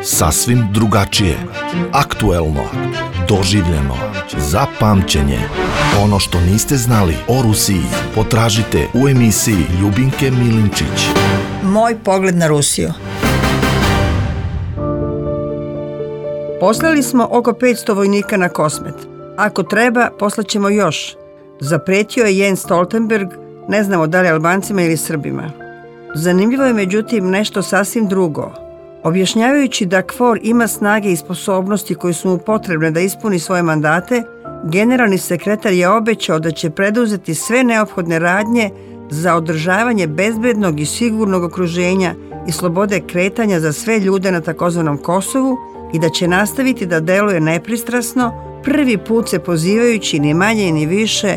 Sasvim drugačije, aktuelno, doživljeno, za pamćenje. Ono što niste znali o Rusiji potražite u emisiji Ljubinke Milinčić. Moj pogled na Rusiju. Poslali smo oko 500 vojnika na Kosmet. Ako treba, poslaćemo još. Zapretio je Jens Stoltenberg, ne znamo da li Albancima ili Srbima. Zanimljivo je međutim nešto sasvim drugo. Objašnjavajući da KFOR ima snage i sposobnosti koje su mu potrebne da ispuni svoje mandate, generalni sekretar je obećao da će preduzeti sve neophodne radnje za održavanje bezbednog i sigurnog okruženja i slobode kretanja za sve ljude na takozvanom Kosovu i da će nastaviti da deluje nepristrasno, prvi put se pozivajući ni manje ni više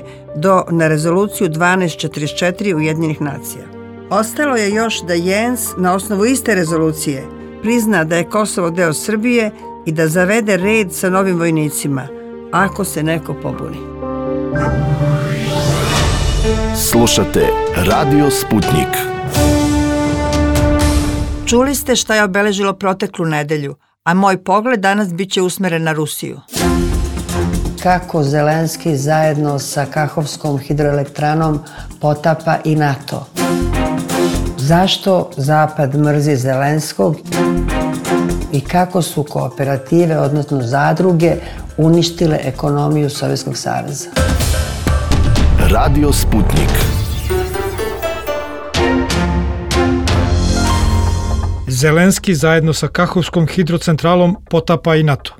na rezoluciju 1244 Ujedinjenih nacija. Ostalo je još da Jens na osnovu iste rezolucije prizna da je Kosovo deo Srbije i da zavede red sa novim vojnicima, ako se neko pobuni. Slušate Radio Sputnik. Čuli ste šta je obeležilo proteklu nedelju, a moj pogled danas bit će usmeren na Rusiju. Kako Zelenski zajedno sa Kahovskom hidroelektranom potapa i NATO? Zašto Zapad mrzi Zelenskog i kako su kooperative, odnosno zadruge, uništile ekonomiju Sovjetskog saveza? Radio Sputnik. Zelenski zajedno sa Kahovskom hidrocentralom potapa i NATO.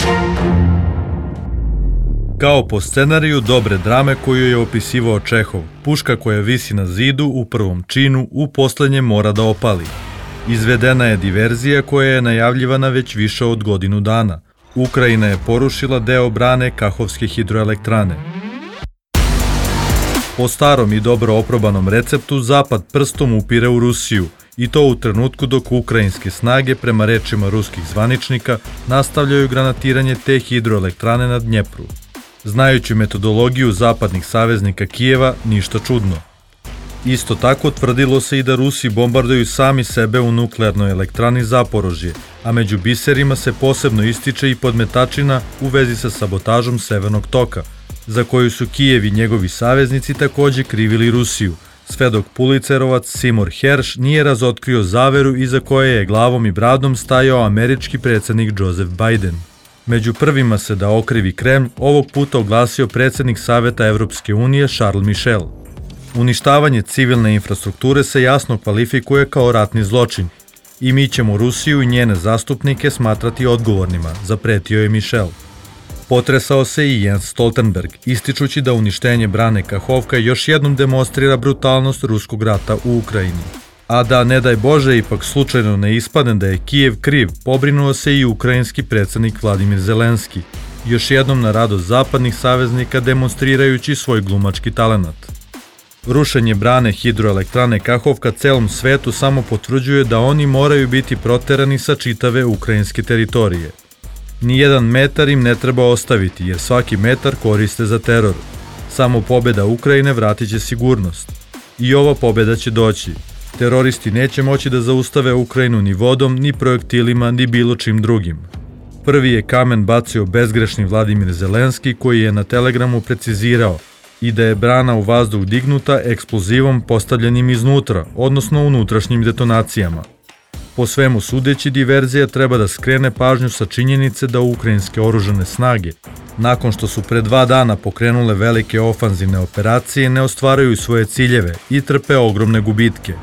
Kao po scenariju dobre drame koju je opisivao Čehov, puška koja visi na zidu u prvom činu u poslednjem mora da opali. Izvedena je diverzija koja je najavljivana već više od godinu dana. Ukrajina je porušila deo brane Kahovske hidroelektrane. Po starom i dobro oprobanom receptu Zapad prstom upire u Rusiju, i to u trenutku dok ukrajinske snage, prema rečima ruskih zvaničnika, nastavljaju granatiranje te hidroelektrane na Dnjepru. Znajući metodologiju zapadnih saveznika Kijeva, ništa čudno. Isto tako tvrdilo se i da Rusi bombarduju sami sebe u nuklearnoj elektrani Zaporožje, a među biserima se posebno ističe i podmetačina u vezi sa sabotažom Severnog toka, za koju su Kijev i njegovi saveznici takođe krivili Rusiju, sve dok Pulitzerovac Seymour Hersh nije razotkrio zaveru iza koje je glavom i bradom stajao američki predsjednik Joseph Biden. Među prvima se da okrivi Kremlj ovog puta oglasio predsjednik Saveta Evropske unije Charles Michel. Uništavanje civilne infrastrukture se jasno kvalifikuje kao ratni zločin i mi ćemo Rusiju i njene zastupnike smatrati odgovornima, zapretio je Michel. Potresao se i Jens Stoltenberg, ističući da uništenje brane Kahovka još jednom demonstrira brutalnost ruskog rata u Ukrajini. A da, ne daj Bože, ipak slučajno ne ispadne da je Kijev kriv, pobrinuo se i ukrajinski predsjednik Vladimir Zelenski, još jednom na radost zapadnih saveznika demonstrirajući svoj glumački talenat. Rušenje brane hidroelektrane Kahovka celom svetu samo potvrđuje da oni moraju biti proterani sa čitave ukrajinske teritorije. Nijedan metar im ne treba ostaviti, jer svaki metar koriste za teror. Samo pobjeda Ukrajine vratit će sigurnost. I ova pobjeda će doći. Teroristi neće moći da zaustave Ukrajinu ni vodom, ni projektilima, ni bilo čim drugim. Prvi je kamen bacio bezgrešni Vladimir Zelenski, koji je na Telegramu precizirao i da je brana u vazduh dignuta eksplozivom postavljenim iznutra, odnosno unutrašnjim detonacijama. Po svemu sudeći, diverzija treba da skrene pažnju sa činjenice da ukrajinske oružane snage, nakon što su pre 2 dana pokrenule velike ofanzivne operacije, ne ostvaraju svoje ciljeve i trpe ogromne gubitke.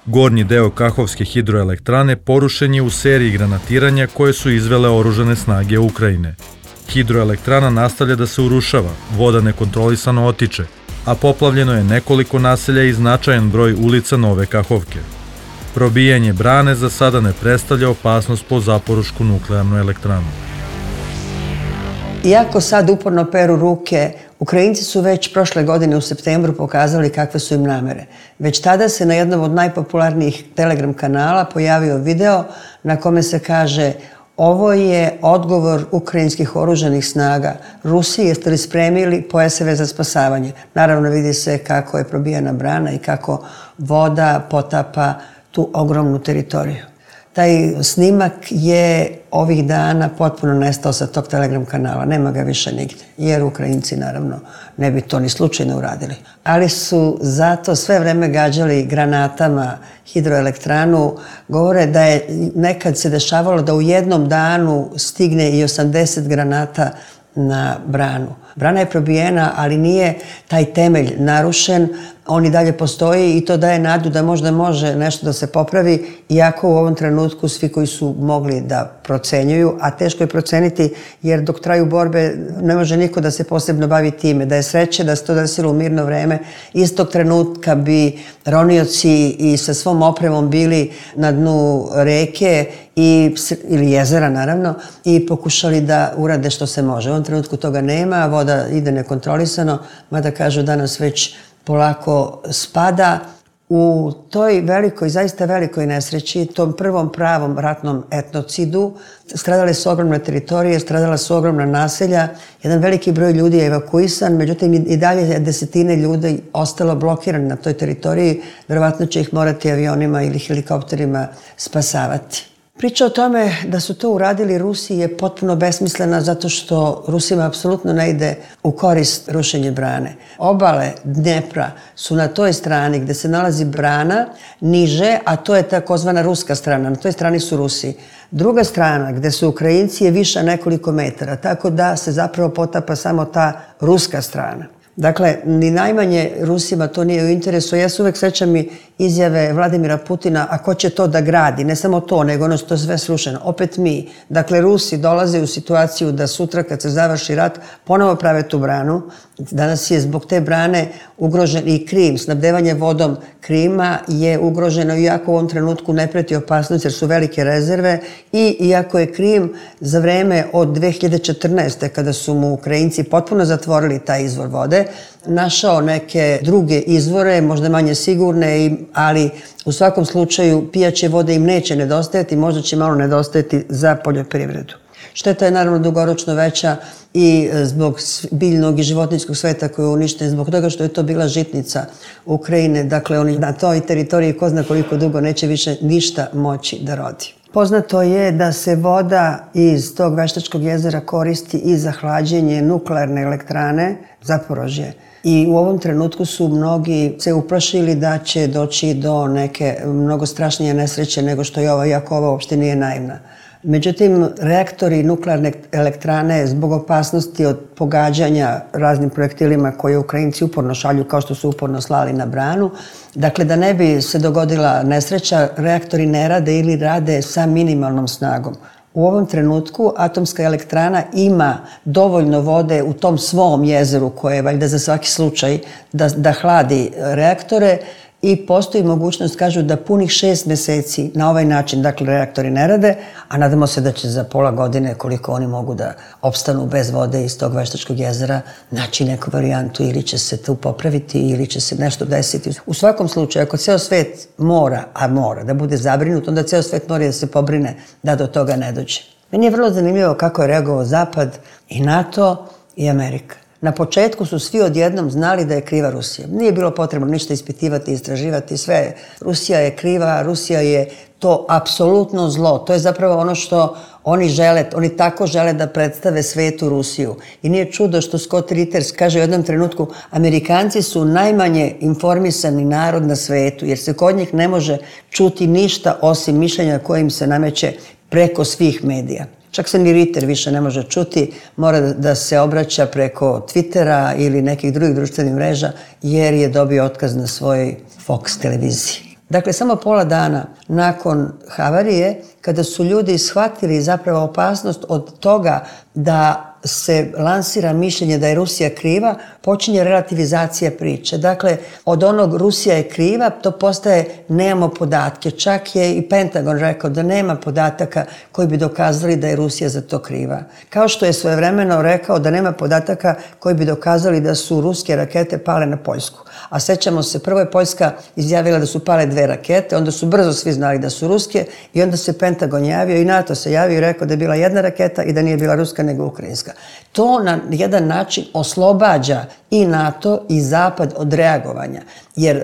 Gornji deo Kahovske hidroelektrane porušen je u seriji granatiranja koje su izvele oružane snage Ukrajine. Hidroelektrana nastavlja da se urušava, voda nekontrolisano otiče, a poplavljeno je nekoliko naselja i značajan broj ulica Nove Kahovke. Probijanje brane za sada ne predstavlja opasnost po Zaporošku nuklearnu elektranu. Iako sad uporno peru ruke, Ukrajinci su već prošle godine u septembru pokazali kakve su im namere. Već tada se na jednom od najpopularnijih Telegram kanala pojavio video na kome se kaže: ovo je odgovor ukrajinskih oružanih snaga. Rusiji, jeste li spremili pojaseve za spasavanje? Naravno, vidi se kako je probijena brana i kako voda potapa tu ogromnu teritoriju. Taj snimak je ovih dana potpuno nestao sa tog Telegram kanala. Nema ga više nigde, jer Ukrajinci naravno ne bi to ni slučajno uradili. Ali su zato sve vreme gađali granatama hidroelektranu. Govore da je nekad se dešavalo da u jednom danu stigne i 80 granata na branu. Brana je probijena, ali nije taj temelj narušen. On i dalje postoji i to daje nadu da možda može nešto da se popravi, iako u ovom trenutku svi koji su mogli da procenjuju, a teško je proceniti jer dok traju borbe ne može niko da se posebno bavi time. Da je sreće da se to desilo u mirno vreme, istog trenutka bi ronioci i sa svom opremom bili na dnu reke ili jezera naravno i pokušali da urade što se može. U ovom trenutku toga nema, voda ide nekontrolisano, mada kažu danas već polako spada. U toj velikoj, zaista velikoj nesreći, tom prvom pravom ratnom etnocidu, stradale su ogromne teritorije, stradala su ogromna naselja, jedan veliki broj ljudi je evakuisan, međutim i dalje je desetine ljudi ostalo blokirani na toj teritoriji, verovatno će ih morati avionima ili helikopterima spasavati. Priča o tome da su to uradili Rusi je potpuno besmislena zato što Rusima apsolutno ne ide u korist rušenje brane. Obale Dnjepra su na toj strani gde se nalazi brana niže, a to je takozvana ruska strana. Na toj strani su Rusi. Druga strana gde su Ukrajinci je viša nekoliko metara, tako da se zapravo potapa samo ta ruska strana. Dakle, ni najmanje Rusima to nije u interesu. Ja se uvek sećam i izjave Vladimira Putina, a ko će to da gradi? Ne samo to, nego ono što je sve srušeno. Opet mi. Dakle, Rusi dolaze u situaciju da sutra kad se završi rat ponovo prave tu branu. Danas je zbog te brane ugrožen i Krim. Snabdevanje vodom Krima je ugroženo iako u ovom trenutku ne preti opasnost jer su velike rezerve i iako je Krim za vreme od 2014. kada su mu Ukrajinci potpuno zatvorili taj izvor vode, našao neke druge izvore, možda manje sigurne, ali u svakom slučaju pijaće vode im neće nedostajati, možda će malo nedostajati za poljoprivredu. Šteta je naravno dugoročno veća i zbog biljnog i životinjskog sveta koji je uništen, zbog toga što je to bila žitnica Ukrajine. Dakle, oni na toj teritoriji ko zna koliko dugo neće više ništa moći da rodi. Poznato je da se voda iz tog Veštačkog jezera koristi i za hlađenje nuklearne elektrane Zaporožje. I u ovom trenutku su mnogi se uplašili da će doći do neke mnogo strašnije nesreće nego što je ova, iako ova uopšte nije naivna. Međutim, reaktori nuklearne elektrane zbog opasnosti od pogađanja raznim projektilima koje Ukrajinci uporno šalju kao što su uporno slali na branu, dakle da ne bi se dogodila nesreća, reaktori ne rade ili rade sa minimalnom snagom. U ovom trenutku atomska elektrana ima dovoljno vode u tom svom jezeru koje je valjda za svaki slučaj da hladi reaktore i postoji mogućnost, kažu, da punih 6 meseci na ovaj način, dakle, reaktori ne rade, a nadamo se da će za pola godine, koliko oni mogu da opstanu bez vode iz tog Veštačkog jezera, naći neku varijantu ili će se tu popraviti ili će se nešto desiti. U svakom slučaju, ako ceo svet mora, a mora da bude zabrinut, onda ceo svet mora da se pobrine da do toga ne dođe. Meni je vrlo zanimljivo kako je reagovao Zapad i NATO i Amerika. Na početku su svi odjednom znali da je kriva Rusija. Nije bilo potrebno ništa ispitivati, istraživati, sve. Rusija je kriva, Rusija je to apsolutno zlo. To je zapravo ono što oni žele, oni tako žele da predstave svetu Rusiju. I nije čudo što Scott Ritters kaže u jednom trenutku, Amerikanci su najmanje informisani narod na svetu, jer se kod njih ne može čuti ništa osim mišljenja kojim se nameće preko svih medija. Čak se ni Ritter više ne može čuti, mora da se obraća preko Twittera ili nekih drugih društvenih mreža jer je dobio otkaz na svojoj Fox televiziji. Dakle, samo pola dana nakon havarije, kada su ljudi shvatili zapravo opasnost od toga da se lansira mišljenje da je Rusija kriva, počinje relativizacija priče. Dakle, od onog Rusija je kriva, to postaje nemamo podatke. Čak je i Pentagon rekao da nema podataka koji bi dokazali da je Rusija za to kriva. Kao što je svojevremeno rekao da nema podataka koji bi dokazali da su ruske rakete pale na Poljsku. A sećamo se, prvo je Poljska izjavila da su pale 2 rakete, onda su brzo svi znali da su ruske i onda se Pentagon javio i NATO se javio i rekao da je bila 1 raketa i da nije bila ruska nego ukrajinska. To na jedan način oslobađa i NATO i Zapad od reagovanja. Jer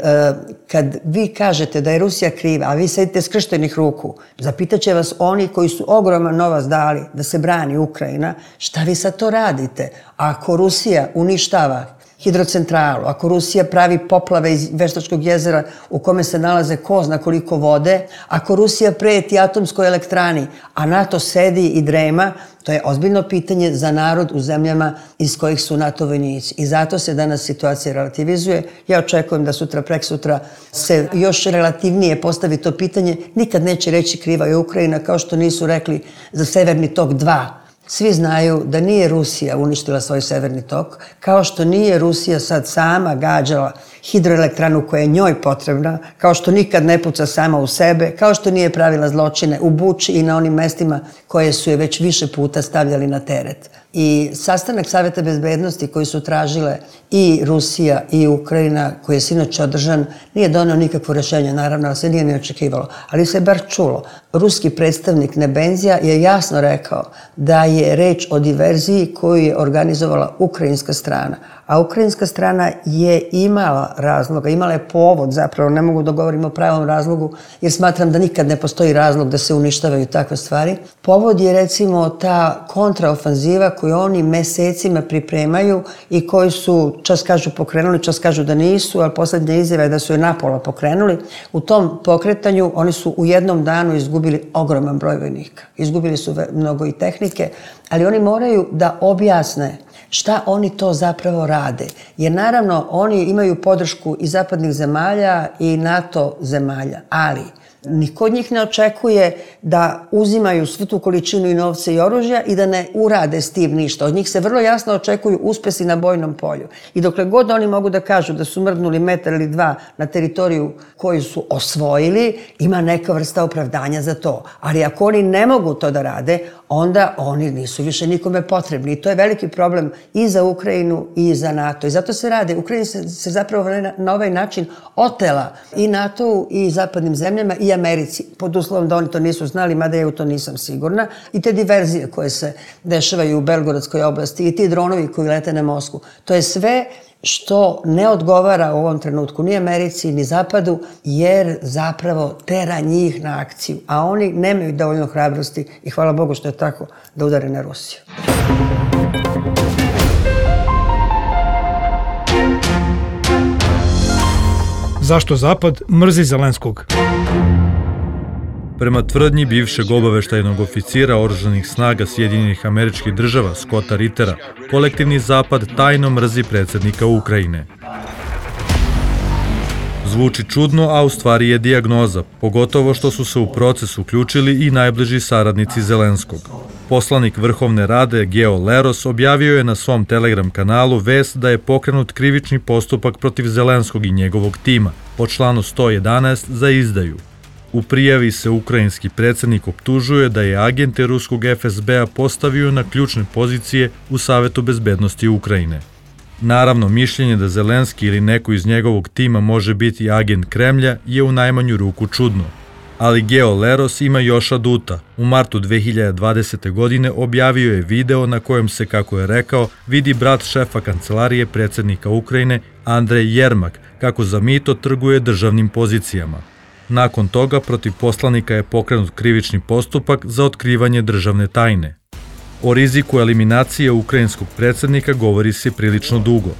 kad vi kažete da je Rusija kriva, a vi sedite skrštenih ruku, zapitat će vas oni koji su ogroman novac dali da se brani Ukrajina, šta vi sad to radite? Ako Rusija uništava hidrocentralu, ako Rusija pravi poplave iz Veštačkog jezera u kome se nalaze ko zna koliko vode, ako Rusija preti atomskoj elektrani, a NATO sedi i drema, to je ozbiljno pitanje za narod u zemljama iz kojih su NATO vojnici. I zato se danas situacija relativizuje. Ja očekujem da sutra, preksutra se još relativnije postavi to pitanje. Nikad neće reći kriva je Ukrajina, kao što nisu rekli za Severni tok 2. Svi znaju da nije Rusija uništila svoj Severni tok, kao što nije Rusija sad sama gađala hidroelektranu koja je njoj potrebna, kao što nikad ne puca sama u sebe, kao što nije pravila zločine u Buči i na onim mestima koje su je već više puta stavljali na teret. I sastanak Saveta bezbednosti koji su tražile i Rusija i Ukrajina, koji je sinoć održan, nije doneo nikakvo rešenje, naravno, ali se nije ni očekivalo. Ali se bar čulo. Ruski predstavnik Nebenzija je jasno rekao da je reč o diverziji koju je organizovala ukrajinska strana. A ukrajinska strana je imala razloga, imala je povod, zapravo ne mogu da govorim o pravom razlogu, jer smatram da nikad ne postoji razlog da se uništavaju takve stvari. Povod je recimo ta kontraofanziva koju oni mesecima pripremaju i koji su, čas kažu pokrenuli, čas kažu da nisu, ali poslednja izjava je da su je napola pokrenuli. U tom pokretanju oni su u jednom danu izgubili ogroman broj vojnika. Izgubili su mnogo i tehnike, ali oni moraju da objasne šta oni to zapravo rade. Jer naravno oni imaju podršku i zapadnih zemalja i NATO zemalja, ali niko od njih ne očekuje da uzimaju svu tu količinu i novca i oružja i da ne urade s tim ništa. Od njih se vrlo jasno očekuju uspesi na bojnom polju. I dokle god oni mogu da kažu da su mrdnuli metar ili dva na teritoriju koju su osvojili, ima neka vrsta opravdanja za to. Ali ako oni ne mogu to da rade, onda oni nisu više nikome potrebni. I to je veliki problem i za Ukrajinu i za NATO. I zato se rade. Ukrajina se zapravo na ovaj način otela i NATO-u i zapadnim zemljama i Americi, pod uslovom da oni to nisu znali, mada ja u to nisam sigurna. I te diverzije koje se dešavaju u Belgorodskoj oblasti i ti dronovi koji lete na Moskvu. To je sve što ne odgovara u ovom trenutku ni Americi, ni Zapadu, jer zapravo tera njih na akciju. A oni nemaju dovoljno hrabrosti i hvala Bogu što je tako, da udare na Rusiju. Zašto Zapad mrzi Zelenskog? Prema tvrdnji bivšeg obaveštajnog oficira oružanih snaga Sjedinjenih Američkih Država Scotta Rittera, kolektivni Zapad tajno mrzi predsjednika Ukrajine. Zvuči čudno, a u stvari je dijagnoza, pogotovo što su se u proces uključili i najbliži saradnici Zelenskog. Poslanik Vrhovne rade Geo Leros objavio je na svom Telegram kanalu vest da je pokrenut krivični postupak protiv Zelenskog i njegovog tima po članu 111 za izdaju. U prijavi se ukrajinski predsjednik optužuje da je agente ruskog FSB-a postavio na ključne pozicije u Savetu bezbednosti Ukrajine. Naravno, mišljenje da Zelenski ili neko iz njegovog tima može biti agent Kremlja je u najmanju ruku čudno. Ali Geo Leros ima još aduta. U martu 2020. godine objavio je video na kojem se, kako je rekao, vidi brat šefa kancelarije predsjednika Ukrajine Andrej Jermak kako za mito trguje državnim pozicijama. Nakon toga protiv poslanika je pokrenut krivični postupak za otkrivanje državne tajne. O riziku eliminacije ukrajinskog predsjednika govori se prilično dugo.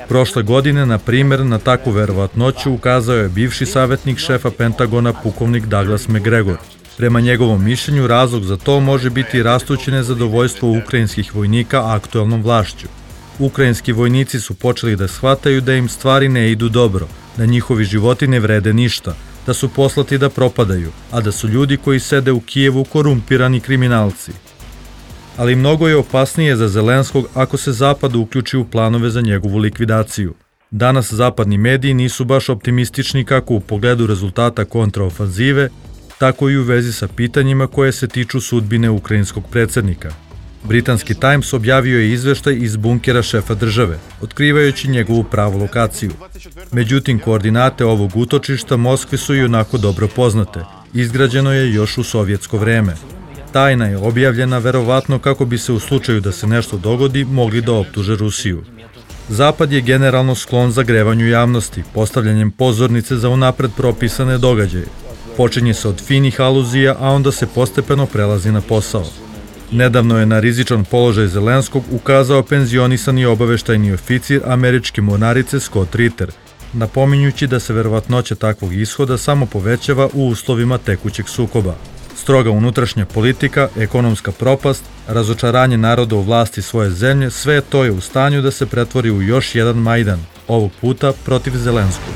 Prošle godine, na primjer, na takvu verovatnoću ukazao je bivši savjetnik šefa Pentagona pukovnik Douglas Macgregor. Prema njegovom mišljenju, razlog za to može biti rastuće nezadovoljstvo ukrajinskih vojnika aktuelnom vlašću. Ukrajinski vojnici su počeli da shvataju da im stvari ne idu dobro, da njihovi životi ne vrede ništa, da su poslati da propadaju, a da su ljudi koji sede u Kijevu korumpirani kriminalci. Ali mnogo je opasnije za Zelenskog ako se Zapad uključi u planove za njegovu likvidaciju. Danas zapadni mediji nisu baš optimistični kako u pogledu rezultata kontraofanzive, tako i u vezi sa pitanjima koje se tiču sudbine ukrajinskog predsjednika. Britanski Times objavio je izveštaj iz bunkera šefa države, otkrivajući njegovu pravu lokaciju. Međutim, koordinate ovog utočišta Moskvi su i onako dobro poznate. Izgrađeno je još u sovjetsko vreme. Tajna je objavljena verovatno kako bi se u slučaju da se nešto dogodi mogli da optuže Rusiju. Zapad je generalno sklon zagrevanju javnosti, postavljanjem pozornice za unapred propisane događaje. Počinje se od finih aluzija, a onda se postepeno prelazi na posao. Nedavno je na rizičan položaj Zelenskog ukazao penzionisani obaveštajni oficir američke mornarice Scott Ritter, napominjući da se verovatnoća takvog ishoda samo povećava u uslovima tekućeg sukoba. Stroga unutrašnja politika, ekonomska propast, razočaranje naroda u vlasti svoje zemlje, sve to je u stanju da se pretvori u još jedan Majdan, ovog puta protiv Zelenskog.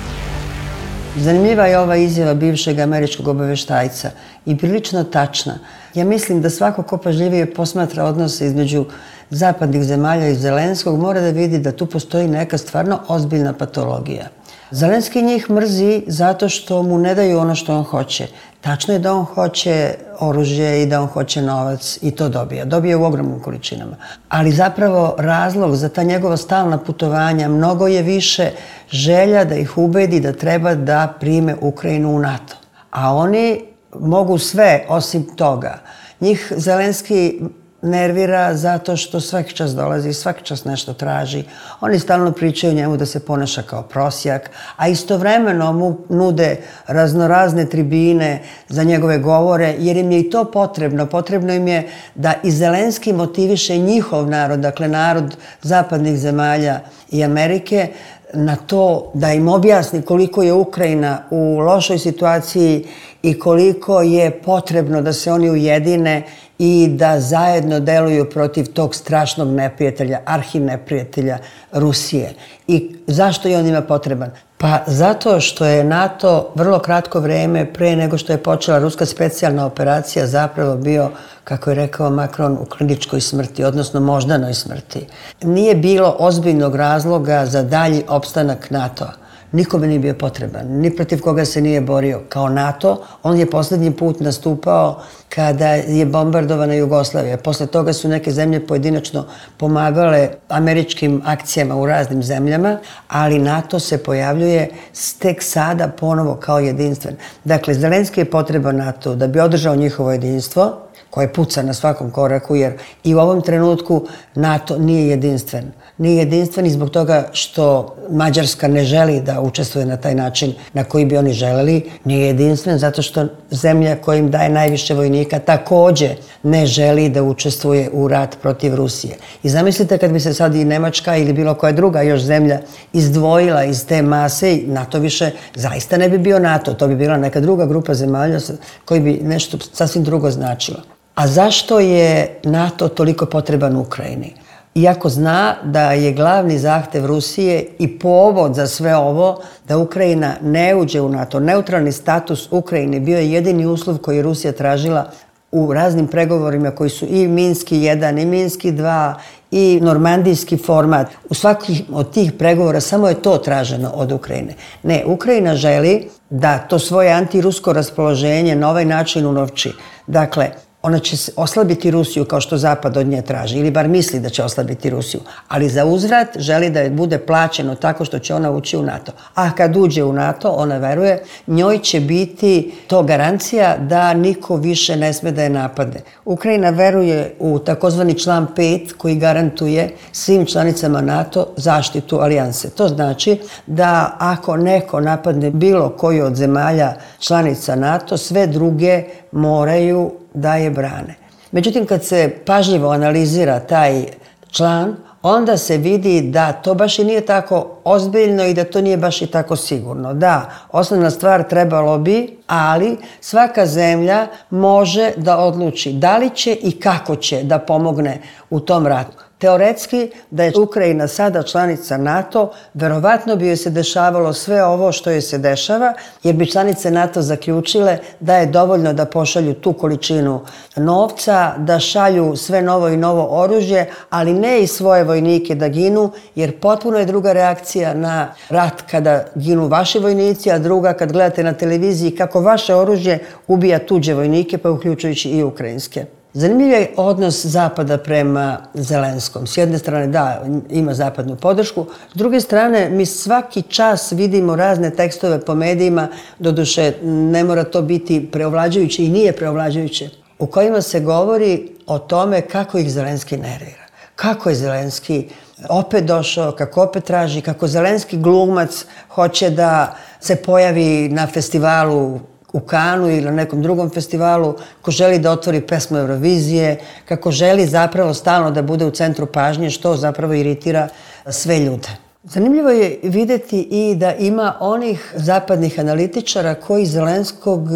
Zanimljiva je ova izjava bivšeg američkog obaveštajca i prilično tačna. Ja mislim da svako ko pažljivije posmatra odnose između zapadnih zemalja i Zelenskog mora da vidi da tu postoji neka stvarno ozbiljna patologija. Zelenski njih mrzi zato što mu ne daju ono što on hoće. Tačno je da on hoće oružje i da on hoće novac i to dobija. Dobija u ogromnim količinama. Ali zapravo razlog za ta njegova stalna putovanja mnogo je više želja da ih ubedi da treba da prime Ukrajinu u NATO. A oni mogu sve osim toga. Njih Zelenski nervira zato što svaki čas dolazi, svaki čas nešto traži. Oni stalno pričaju njemu da se ponaša kao prosjak, a istovremeno mu nude raznorazne tribine za njegove govore, jer im je i to potrebno. Potrebno im je da i Zelenski motiviše njihov narod, dakle narod zapadnih zemalja i Amerike, na to da im objasni koliko je Ukrajina u lošoj situaciji i koliko je potrebno da se oni ujedine i da zajedno deluju protiv tog strašnog neprijatelja, arhineprijatelja Rusije. I zašto je on njima potreban? Pa zato što je NATO vrlo kratko vreme pre nego što je počela ruska specijalna operacija zapravo bio, kako je rekao Macron, u kliničkoj smrti, odnosno moždanoj smrti. Nije bilo ozbiljnog razloga za dalji opstanak NATO-a. Nikome nije bio potreban, ni protiv koga se nije borio. Kao NATO, on je poslednji put nastupao kada je bombardovana Jugoslavija. Posle toga su neke zemlje pojedinačno pomagale američkim akcijama u raznim zemljama, ali NATO se pojavljuje tek sada ponovo kao jedinstven. Dakle, Zelenski je potreban NATO da bi održao njihovo jedinstvo, koje puca na svakom koraku, jer i u ovom trenutku NATO nije jedinstven. Nije jedinstven i zbog toga što Mađarska ne želi da učestvuje na taj način na koji bi oni želeli. Nije jedinstven zato što zemlja koja im daje najviše vojnika takođe ne želi da učestvuje u rat protiv Rusije. I zamislite kad bi se sad i Nemačka ili bilo koja druga još zemlja izdvojila iz te mase, NATO više zaista ne bi bio NATO. To bi bila neka druga grupa zemalja koji bi nešto sasvim drugo značilo. A zašto je NATO toliko potreban Ukrajini? Iako zna da je glavni zahtev Rusije i povod za sve ovo da Ukrajina ne uđe u NATO. Neutralni status Ukrajine bio je jedini uslov koji je Rusija tražila u raznim pregovorima koji su i Minski 1 i Minski 2 i normandijski format. U svakih od tih pregovora samo je to traženo od Ukrajine. Ne, Ukrajina želi da to svoje antirusko raspoloženje na ovaj način unovči. Dakle, ona će oslabiti Rusiju kao što Zapad od nje traži, ili bar misli da će oslabiti Rusiju. Ali za uzvrat želi da je bude plaćeno tako što će ona ući u NATO. A kad uđe u NATO, ona veruje, njoj će biti to garancija da niko više ne sme da je napadne. Ukrajina veruje u takozvani član 5 koji garantuje svim članicama NATO zaštitu alijanse. To znači da ako neko napadne bilo koju od zemalja članica NATO, sve druge moraju da je brane. Međutim, kad se pažljivo analizira taj član, onda se vidi da to baš i nije tako ozbiljno i da to nije baš i tako sigurno. Da, osnovna stvar trebalo bi, ali svaka zemlja može da odluči da li će i kako će da pomogne u tom ratu. Teoretski, da je Ukrajina sada članica NATO, verovatno bi joj se dešavalo sve ovo što joj se dešava, jer bi članice NATO zaključile da je dovoljno da pošalju tu količinu novca, da šalju sve novo i novo oružje, ali ne i svoje vojnike da ginu, jer potpuno je druga reakcija na rat kada ginu vaši vojnici, a druga kad gledate na televiziji kako vaše oružje ubija tuđe vojnike, pa uključujući i ukrajinske. Zanimljiv je odnos Zapada prema Zelenskom. S jedne strane, da, ima zapadnu podršku. S druge strane, mi svaki čas vidimo razne tekstove po medijima. Doduše, ne mora to biti preovlađujuće i nije preovlađujuće. u kojima se govori o tome kako ih Zelenski nervira. Kako je Zelenski opet došao, kako opet traži, kako Zelenski glumac hoće da se pojavi na festivalu u Kanu ili na nekom drugom festivalu, ko želi da otvori pesmu Eurovizije, kako želi zapravo stalno da bude u centru pažnje, što zapravo iritira sve ljude. Zanimljivo je videti i da ima onih zapadnih analitičara koji Zelenskog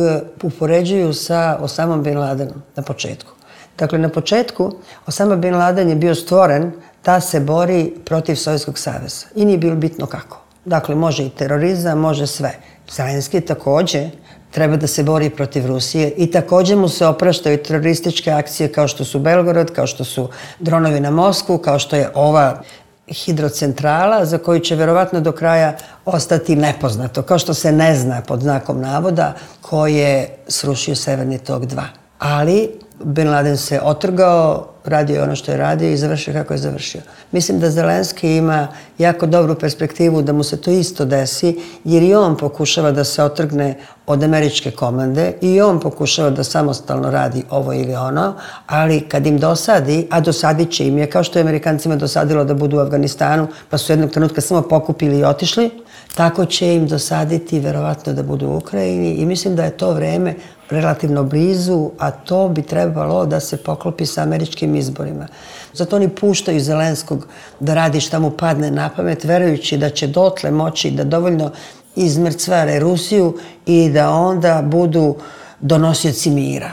upoređuju sa Osamom Bin Ladenom na početku. Dakle, na početku Osama Bin Laden je bio stvoren da se bori protiv Sovjetskog saveza i nije bilo bitno kako. Dakle, može i terorizam, može sve. Zelenski takođe treba da se bori protiv Rusije i takođe mu se opraštaju terorističke akcije kao što su Belgorod, kao što su dronovi na Moskvu, kao što je ova hidrocentrala za koju će verovatno do kraja ostati nepoznato, kao što se ne zna pod znakom navoda ko je srušio Severni tok 2. Ali Bin Laden se otrgao, radio ono što je radio i završio kako je završio. Mislim da Zelenski ima jako dobru perspektivu da mu se to isto desi, jer i on pokušava da se otrgne od američke komande i on pokušava da samostalno radi ovo ili ono, ali kad im dosadi, a dosadit će im je, kao što je Amerikancima dosadilo da budu u Afganistanu, pa su jednog trenutka samo pokupili i otišli, tako će im dosaditi verovatno da budu u Ukrajini i mislim da je to vreme relativno blizu, a to bi trebalo da se poklopi sa američkim izborima. Zato oni puštaju Zelenskog da radi šta mu padne na pamet, verujući da će dotle moći da dovoljno izmrcvare Rusiju i da onda budu donosioci mira.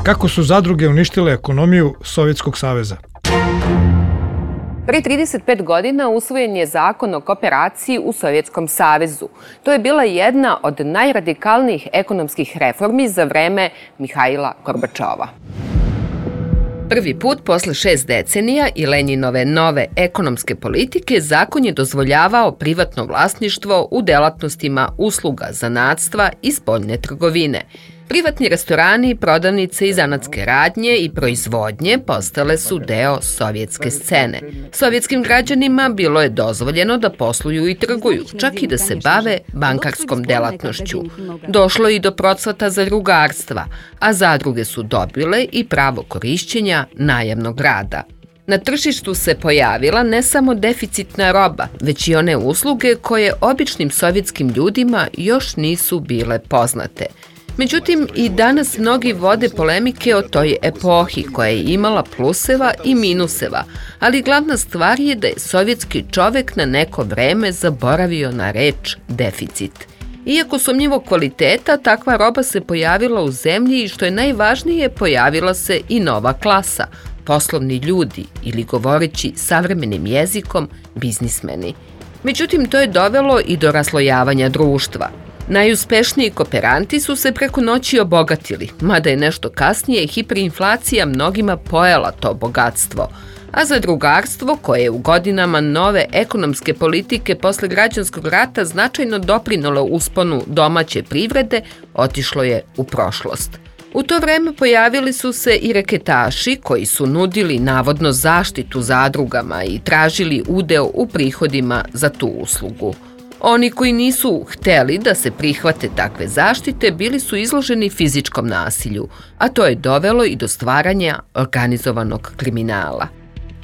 Kako su zadruge uništile ekonomiju Sovjetskog saveza? Pre 35 godina usvojen je zakon o kooperaciji u Sovjetskom savezu. To je bila jedna od najradikalnijih ekonomskih reformi za vreme Mihaila Gorbačova. Prvi put posle 6 decenija i Lenjinove nove ekonomske politike zakon je dozvoljavao privatno vlasništvo u delatnostima usluga, zanatstva i spoljne trgovine. Privatni restorani, prodavnice i zanatske radnje i proizvodnje postale su deo sovjetske scene. Sovjetskim građanima bilo je dozvoljeno da posluju i trguju, čak i da se bave bankarskom delatnošću. Došlo je i do procvata zadrugarstva, a zadruge su dobile i pravo korišćenja najamnog rada. Na tržištu se pojavila ne samo deficitna roba, već i one usluge koje običnim sovjetskim ljudima još nisu bile poznate. Međutim, i danas mnogi vode polemike o toj epohi koja je imala pluseva i minuseva, ali glavna stvar je da je sovjetski čovek na neko vreme zaboravio na reč deficit. Iako sumnjivog kvaliteta, takva roba se pojavila u zemlji i što je najvažnije, pojavila se i nova klasa, poslovni ljudi ili govoreći savremenim jezikom, biznismeni. Međutim, to je dovelo i do raslojavanja društva. Najuspešniji kooperanti su se preko noći obogatili, mada je nešto kasnije hiperinflacija mnogima pojela to bogatstvo, a zadrugarstvo, koje je u godinama nove ekonomske politike posle građanskog rata značajno doprinalo usponu domaće privrede, otišlo je u prošlost. U to vreme pojavili su se i reketaši koji su nudili navodno zaštitu zadrugama i tražili udeo u prihodima za tu uslugu. Oni koji nisu hteli da se prihvate takve zaštite bili su izloženi fizičkom nasilju, a to je dovelo i do stvaranja organizovanog kriminala.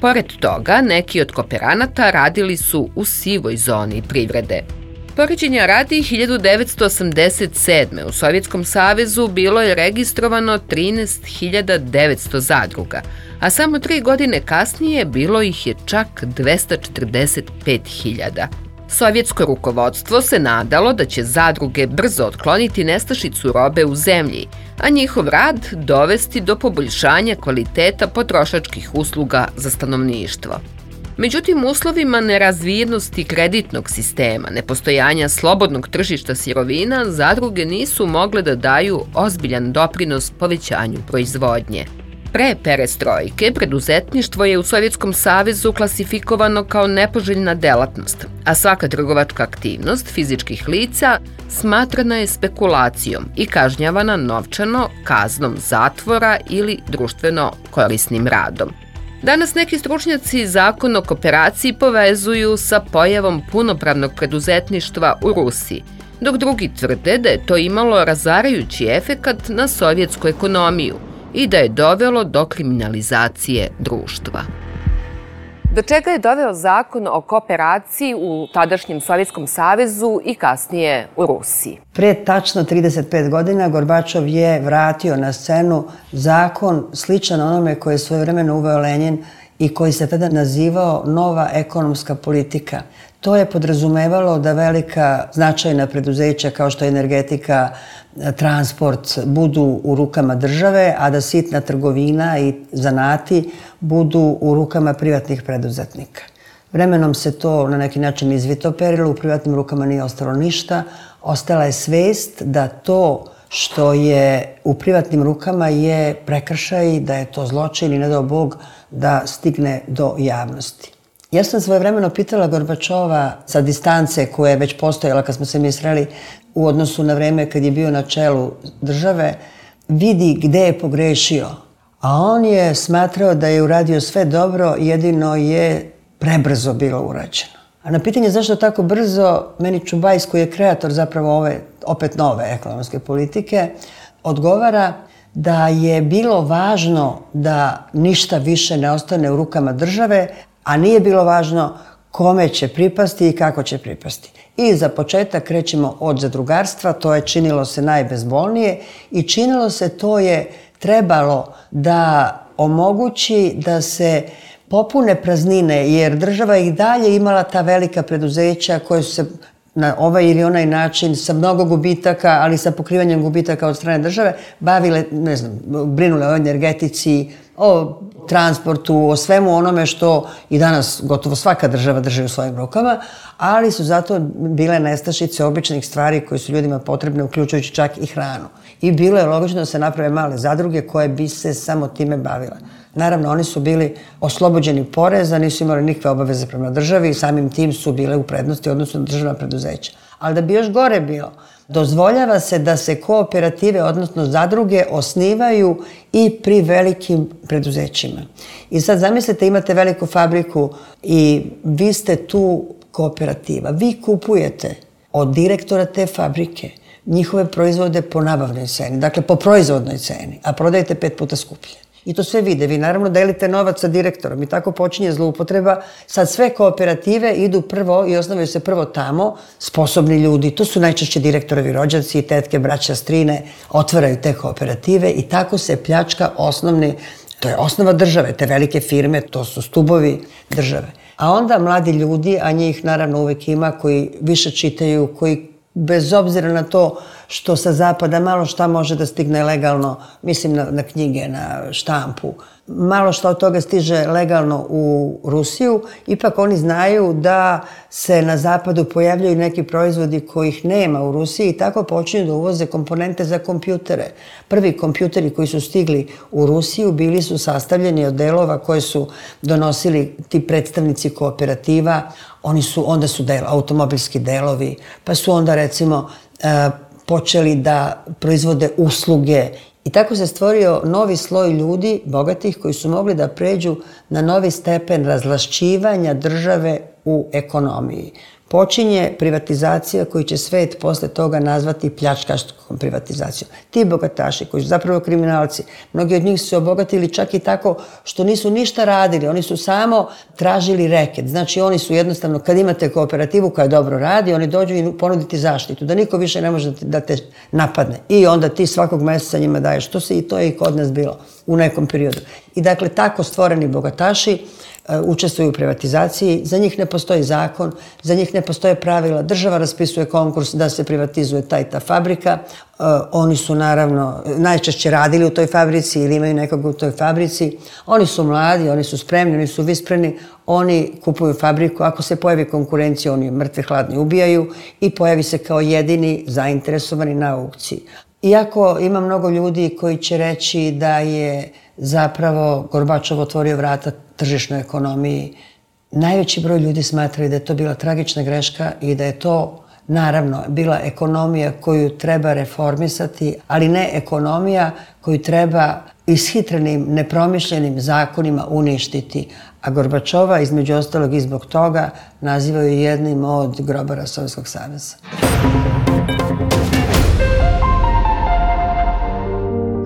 Pored toga, neki od kooperanata radili su u sivoj zoni privrede. Poređenja radi, 1987. u Sovjetskom savezu bilo je registrovano 13.900 zadruga, a samo 3 godine kasnije bilo ih je čak 245.000. Sovjetsko rukovodstvo se nadalo da će zadruge brzo otkloniti nestašicu robe u zemlji, a njihov rad dovesti do poboljšanja kvaliteta potrošačkih usluga za stanovništvo. Međutim, u uslovima nerazvijenosti kreditnog sistema, nepostojanja slobodnog tržišta sirovina, zadruge nisu mogle da daju ozbiljan doprinos povećanju proizvodnje. Pre perestrojke, preduzetništvo je u Sovjetskom savezu klasifikovano kao nepoželjna delatnost, a svaka trgovačka aktivnost fizičkih lica smatrana je spekulacijom i kažnjavana novčano, kaznom zatvora ili društveno korisnim radom. Danas neki stručnjaci zakon o kooperaciji povezuju sa pojavom punopravnog preduzetništva u Rusiji, dok drugi tvrde da je to imalo razarajući efekat na sovjetsku ekonomiju i da je dovelo do kriminalizacije društva. Do čega je doveo zakon o kooperaciji u tadašnjem Sovjetskom savezu i kasnije u Rusiji? Prije tačno 35 godina Gorbačov je vratio na scenu zakon sličan onome koje je svojevremeno uveo Lenjin i koji se tada nazivao nova ekonomska politika. To je podrazumevalo da velika značajna preduzeća kao što je energetika, transport budu u rukama države, a da sitna trgovina i zanati budu u rukama privatnih preduzetnika. Vremenom se to na neki način izvitoperilo, u privatnim rukama nije ostalo ništa. Ostala je svest da to što je u privatnim rukama je prekršaj, da je to zločin i ne dao Bog da stigne do javnosti. Ja sam svojevremeno pitala Gorbačova sa distance koja je već postojala kad smo se mi sreli u odnosu na vreme kad je bio na čelu države, vidi gde je pogrešio. A on je smatrao da je uradio sve dobro, jedino je prebrzo bilo urađeno. A na pitanje zašto tako brzo, meni Čubajs, koji je kreator zapravo ove opet nove ekonomske politike, odgovara da je bilo važno da ništa više ne ostane u rukama države, a nije bilo važno kome će pripasti i kako će pripasti. I za početak krećemo od zadrugarstva, to je činilo se najbezbolnije i činilo se, to je trebalo da omogući da se popune praznine, jer država i dalje imala ta velika preduzeća koje su se na ovaj ili onaj način sa mnogo gubitaka, ali sa pokrivanjem gubitaka od strane države, bavile, ne znam, brinule o energetici, o transportu, o svemu onome što i danas gotovo svaka država drži u svojim rukama, ali su zato bile nestašice običnih stvari koje su ljudima potrebne, uključujući čak i hranu. I bilo je logično da se naprave male zadruge koje bi se samo time bavile. Naravno, oni su bili oslobođeni poreza, nisu imali nikakve obaveze prema državi i samim tim su bile u prednosti odnosno na državna preduzeća. Ali da bi još gore bilo, dozvoljava se da se kooperative, odnosno zadruge, osnivaju i pri velikim preduzećima. I sad zamislite, imate veliku fabriku i vi ste tu kooperativa. Vi kupujete od direktora te fabrike njihove proizvode po nabavnoj ceni, dakle po proizvodnoj ceni, a prodajete 5 puta skuplje. I to sve vide. Vi naravno delite novac sa direktorom i tako počinje zloupotreba. Sad sve kooperative idu prvo i osnovaju se prvo tamo, sposobni ljudi, to su najčešće direktorovi rođaci, tetke, braća, strine, otvaraju te kooperative i tako se pljačka osnovni, to je osnova države, te velike firme, to su stubovi države. A onda mladi ljudi, a njih naravno uvek ima, koji više čitaju, koji bez obzira na to što sa zapada malo šta može da stigne legalno, mislim na knjige, na štampu, malo šta od toga stiže legalno u Rusiju, ipak oni znaju da se na zapadu pojavljaju neki proizvodi kojih nema u Rusiji i tako počinju da uvoze komponente za kompjutere. Prvi kompjuteri koji su stigli u Rusiju bili su sastavljeni od delova koje su donosili ti predstavnici kooperativa. Onda su automobilski delovi, pa su onda recimo počeli da proizvode usluge. I tako se stvorio novi sloj ljudi, bogatih, koji su mogli da pređu na novi stepen razvlašćivanja države u ekonomiji. Počinje privatizacija koju će svet posle toga nazvati pljačkaškom privatizacijom. Ti bogataši koji su zapravo kriminalci, mnogi od njih su se obogatili čak i tako što nisu ništa radili, oni su samo tražili reket. Znači oni su jednostavno, kad imate kooperativu koja dobro radi, oni dođu i ponuditi zaštitu, da niko više ne može da te napadne. I onda ti svakog meseca njima daješ. To je i kod nas bilo u nekom periodu. I dakle, tako stvoreni bogataši učestvuju u privatizaciji, za njih ne postoji zakon, za njih ne postoje pravila, država raspisuje konkurs da se privatizuje ta fabrika, oni su naravno najčešće radili u toj fabrici ili imaju nekog u toj fabrici, oni su mladi, oni su spremni, oni su vispreni, oni kupuju fabriku, ako se pojavi konkurencija, oni mrtve hladni ubijaju i pojavi se kao jedini zainteresovani na aukciji. Iako ima mnogo ljudi koji će reći da je zapravo Gorbačov otvorio vrata tržišnoj ekonomiji, najveći broj ljudi smatraju da je to bila tragična greška i da je to naravno bila ekonomija koju treba reformisati, ali ne ekonomija koju treba ishitrenim, nepromišljenim zakonima uništiti. A Gorbačova, između ostalog i zbog toga, nazivaju jednim od grobara Sovjetskog saveza.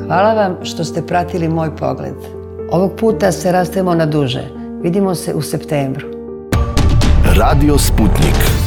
Hvala vam što ste pratili moj pogled. Ovog puta se rastajemo na duže. Vidimo se u septembru. Radio Sputnik.